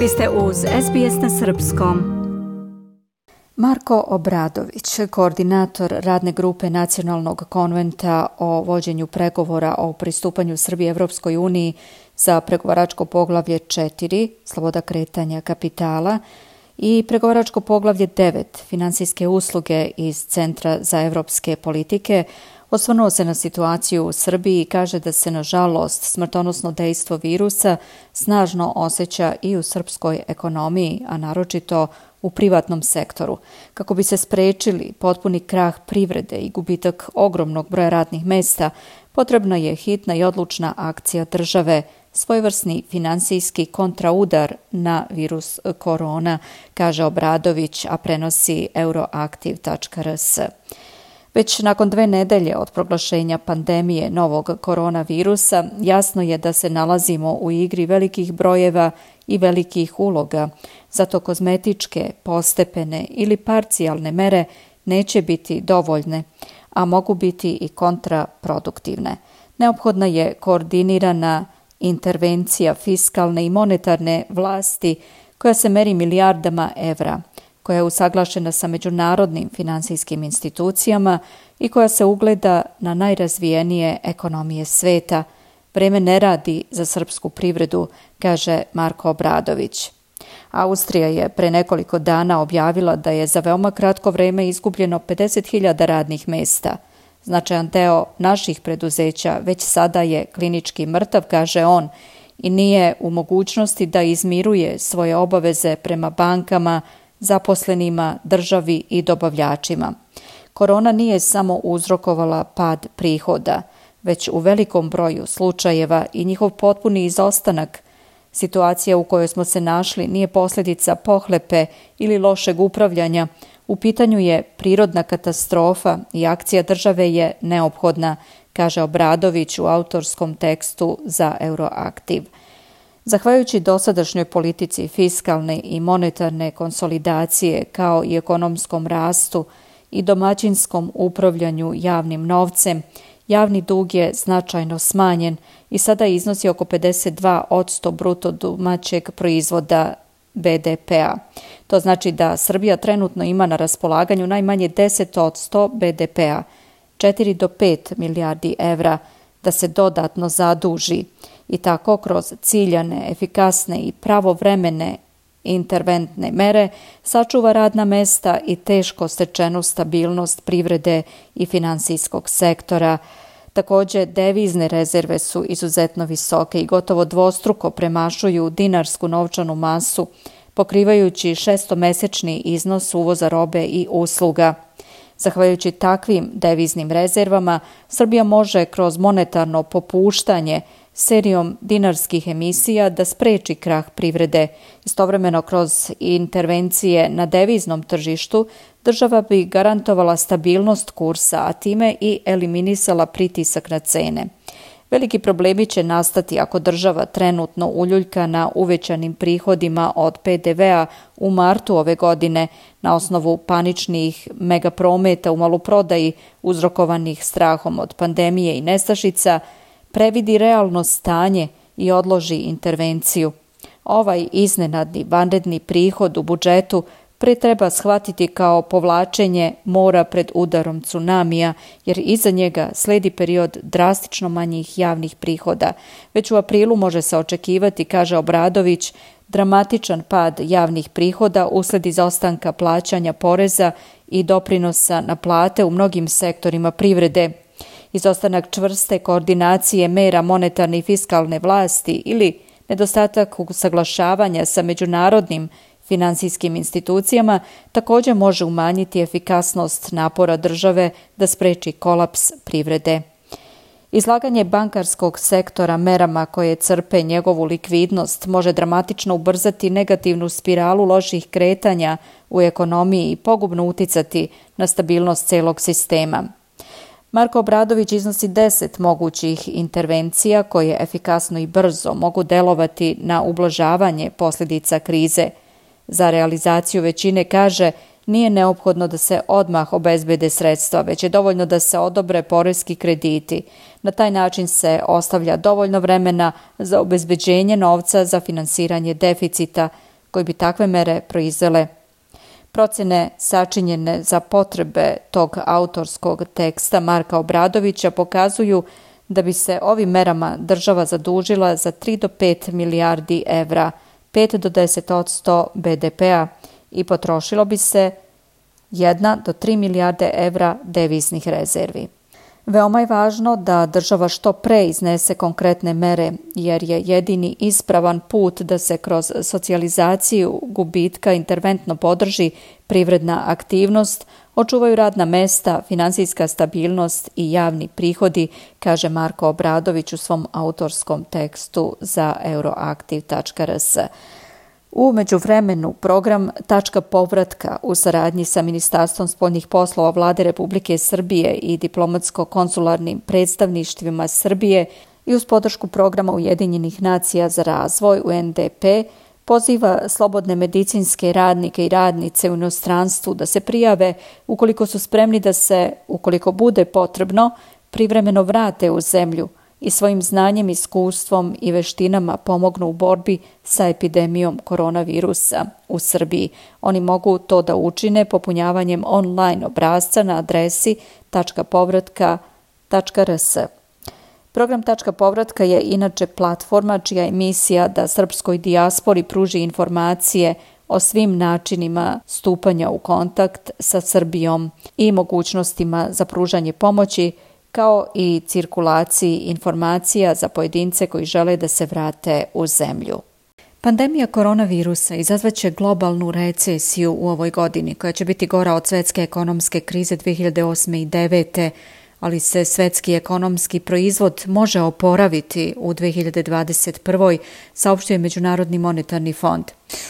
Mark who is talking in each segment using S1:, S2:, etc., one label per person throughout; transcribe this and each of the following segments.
S1: Vi ste uz SBS na srpskom. Marko Obradović, koordinator radne grupe Nacionalnog konventa o vođenju pregovora o pristupanju Srbije Evropskoj uniji za pregovaračko poglavlje 4, sloboda kretanja kapitala, i pregovaračko poglavlje 9, finansijske usluge iz Centra za evropske politike, osvrnuo se na situaciju u Srbiji i kaže da se, nažalost, smrtonosno dejstvo virusa snažno osjeća i u srpskoj ekonomiji, a naročito u privatnom sektoru. Kako bi se sprečili potpuni krah privrede i gubitak ogromnog broja radnih mesta, potrebna je hitna i odlučna akcija države, svojevrsni finansijski kontraudar na virus korona, kaže Obradović, a prenosi Euroactiv.rs. Već nakon 2 nedelje od proglašenja pandemije novog koronavirusa, jasno je da se nalazimo u igri velikih brojeva i velikih uloga. Zato kozmetičke, postepene ili parcijalne mere neće biti dovoljne, a mogu biti i kontraproduktivne. Neophodna je koordinirana intervencija fiskalne i monetarne vlasti koja se meri milijardama evra, koja je usaglašena sa međunarodnim finansijskim institucijama i koja se ugleda na najrazvijenije ekonomije sveta. Vreme ne radi za srpsku privredu, kaže Marko Obradović. Austrija je pre nekoliko dana objavila da je za veoma kratko vreme izgubljeno 50.000 radnih mesta. Značajan deo naših preduzeća već sada je klinički mrtav, kaže on, i nije u mogućnosti da izmiruje svoje obaveze prema bankama, zaposlenima, državi i dobavljačima. Korona nije samo uzrokovala pad prihoda, već u velikom broju slučajeva i njihov potpuni izostanak. Situacija u kojoj smo se našli nije posljedica pohlepe ili lošeg upravljanja. U pitanju je prirodna katastrofa i akcija države je neophodna, kaže Obradović u autorskom tekstu za Euroactiv. Zahvaljujući dosadašnjoj politici fiskalne i monetarne konsolidacije kao i ekonomskom rastu i domaćinskom upravljanju javnim novcem, javni dug je značajno smanjen i sada iznosi oko 52% bruto domaćeg proizvoda BDP-a. To znači da Srbija trenutno ima na raspolaganju najmanje 10% BDP-a, 4 do 5 milijardi evra, da se dodatno zaduži i tako kroz ciljane, efikasne i pravovremene interventne mere sačuva radna mesta i teško stečenu stabilnost privrede i finansijskog sektora. Također, devizne rezerve su izuzetno visoke i gotovo dvostruko premašuju dinarsku novčanu masu, pokrivajući 6-mesečni iznos uvoza robe i usluga. Zahvaljujući takvim deviznim rezervama, Srbija može kroz monetarno popuštanje serijom dinarskih emisija da spreči krah privrede. Istovremeno kroz intervencije na deviznom tržištu država bi garantovala stabilnost kursa, a time i eliminisala pritisak na cene. Veliki problemi će nastati ako država trenutno uljuljka na uvećanim prihodima od PDV-a u martu ove godine na osnovu paničnih megaprometa u maloprodaji uzrokovanih strahom od pandemije i nestašica, previdi realno stanje i odloži intervenciju. Ovaj iznenadni vanredni prihod u budžetu pre treba shvatiti kao povlačenje mora pred udarom tsunamija, jer iza njega sledi period drastično manjih javnih prihoda. Već u aprilu može se očekivati, kaže Obradović, dramatičan pad javnih prihoda usled izostanka plaćanja poreza i doprinosa na plate u mnogim sektorima privrede. Izostanak čvrste koordinacije mera monetarne i fiskalne vlasti ili nedostatak usaglašavanja sa međunarodnim finansijskim institucijama također može umanjiti efikasnost napora države da spreči kolaps privrede. Izlaganje bankarskog sektora merama koje crpe njegovu likvidnost može dramatično ubrzati negativnu spiralu loših kretanja u ekonomiji i pogubno uticati na stabilnost celog sistema. Marko Obradović iznosi 10 mogućih intervencija koje efikasno i brzo mogu delovati na ublažavanje posljedica krize. Za realizaciju većine, kaže, nije neophodno da se odmah obezbede sredstva, već je dovoljno da se odobre poreski krediti. Na taj način se ostavlja dovoljno vremena za obezbeđenje novca za finansiranje deficita, koji bi takve mere proizvele. Procjene sačinjene za potrebe tog autorskog teksta Marka Obradovića pokazuju da bi se ovim merama država zadužila za 3 do 5 milijardi evra, 5 do 10% BDP-a i potrošilo bi se 1 do 3 milijarde evra deviznih rezervi. Veoma je važno da država što pre iznese konkretne mere, jer je jedini ispravan put da se kroz socijalizaciju gubitka interventno podrži privredna aktivnost, očuvaju radna mesta, finansijska stabilnost i javni prihodi, kaže Marko Obradović u svom autorskom tekstu za euroaktiv.rs. U međuvremenu program Tačka povratka u saradnji sa Ministarstvom spoljnih poslova Vlade Republike Srbije i diplomatsko-konsularnim predstavništvima Srbije i uz podršku programa Ujedinjenih nacija za razvoj UNDP poziva slobodne medicinske radnike i radnice u inostranstvu da se prijave ukoliko su spremni da se, ukoliko bude potrebno, privremeno vrate u zemlju i svojim znanjem, iskustvom i veštinama pomognu u borbi sa epidemijom koronavirusa u Srbiji. Oni mogu to da učine popunjavanjem online obrasca na adresi tačkapovratka.rs. Program Tačka povratka je inače platforma čija je misija da srpskoj dijaspori pruži informacije o svim načinima stupanja u kontakt sa Srbijom i mogućnostima za pružanje pomoći, kao i cirkulaciji informacija za pojedince koji žele da se vrate u zemlju. Pandemija koronavirusa izazvaće globalnu recesiju u ovoj godini, koja će biti gora od svetske ekonomske krize 2008. i 2009. ali se svetski ekonomski proizvod može oporaviti u 2021. saopštio je Međunarodni monetarni fond.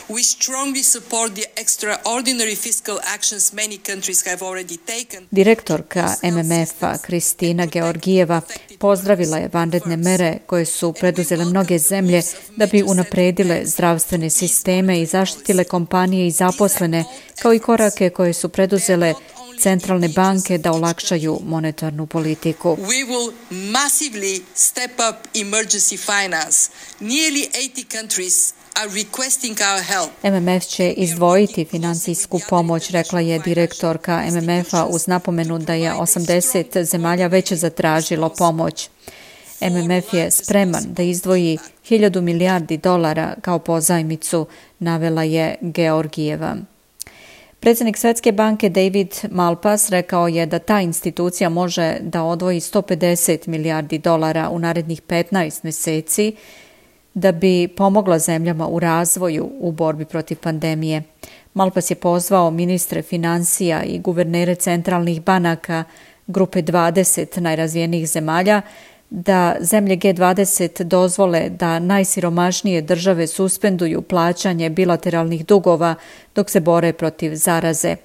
S2: We strongly support the extraordinary fiscal actions many countries have already taken.
S1: Direktorka MMF-a Kristina Georgijeva pozdravila je vanredne mere koje su preduzele mnoge zemlje da bi unapredile zdravstvene sisteme i zaštitile kompanije i zaposlene, kao i korake koje su preduzele centralne banke da olakšaju monetarnu politiku.
S2: We will massively step up emergency finance. Nearly 80 countries are requesting our help.
S1: MMF će izdvojiti finansijsku pomoć, rekla je direktorka MMF-a uz napomenu da je 80 zemalja već zatražilo pomoć. MMF je spreman da izdvoji 1000 milijardi dolara kao pozajmicu, navela je Georgijeva. Predsjednik Svjetske banke David Malpass rekao je da ta institucija može da odvoji 150 milijardi dolara u narednih 15 mjeseci da bi pomogla zemljama u razvoju u borbi protiv pandemije. Malpass je pozvao ministre financija i guvernere centralnih banaka grupe 20 najrazvijenijih zemalja da zemlje G20 dozvole da najsiromašnije države suspenduju plaćanje bilateralnih dugova dok se bore protiv zaraze.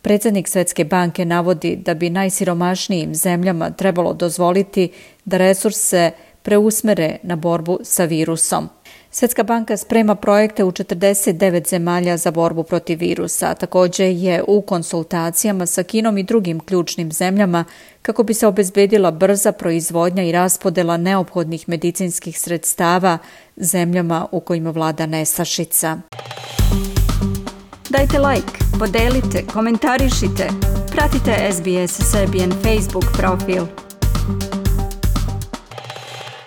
S1: Predsjednik Svjetske banke navodi da bi najsiromašnijim zemljama trebalo dozvoliti da resurse preusmere na borbu sa virusom. Svjetska banka sprema projekte u 49 zemalja za borbu protiv virusa. Također je u konsultacijama sa Kinom i drugim ključnim zemljama kako bi se obezbedila brza proizvodnja i raspodela neophodnih medicinskih sredstava zemljama u kojima vlada nestašica. Dajte like, podelite, komentarišite. Pratite SBS Serbian Facebook profil.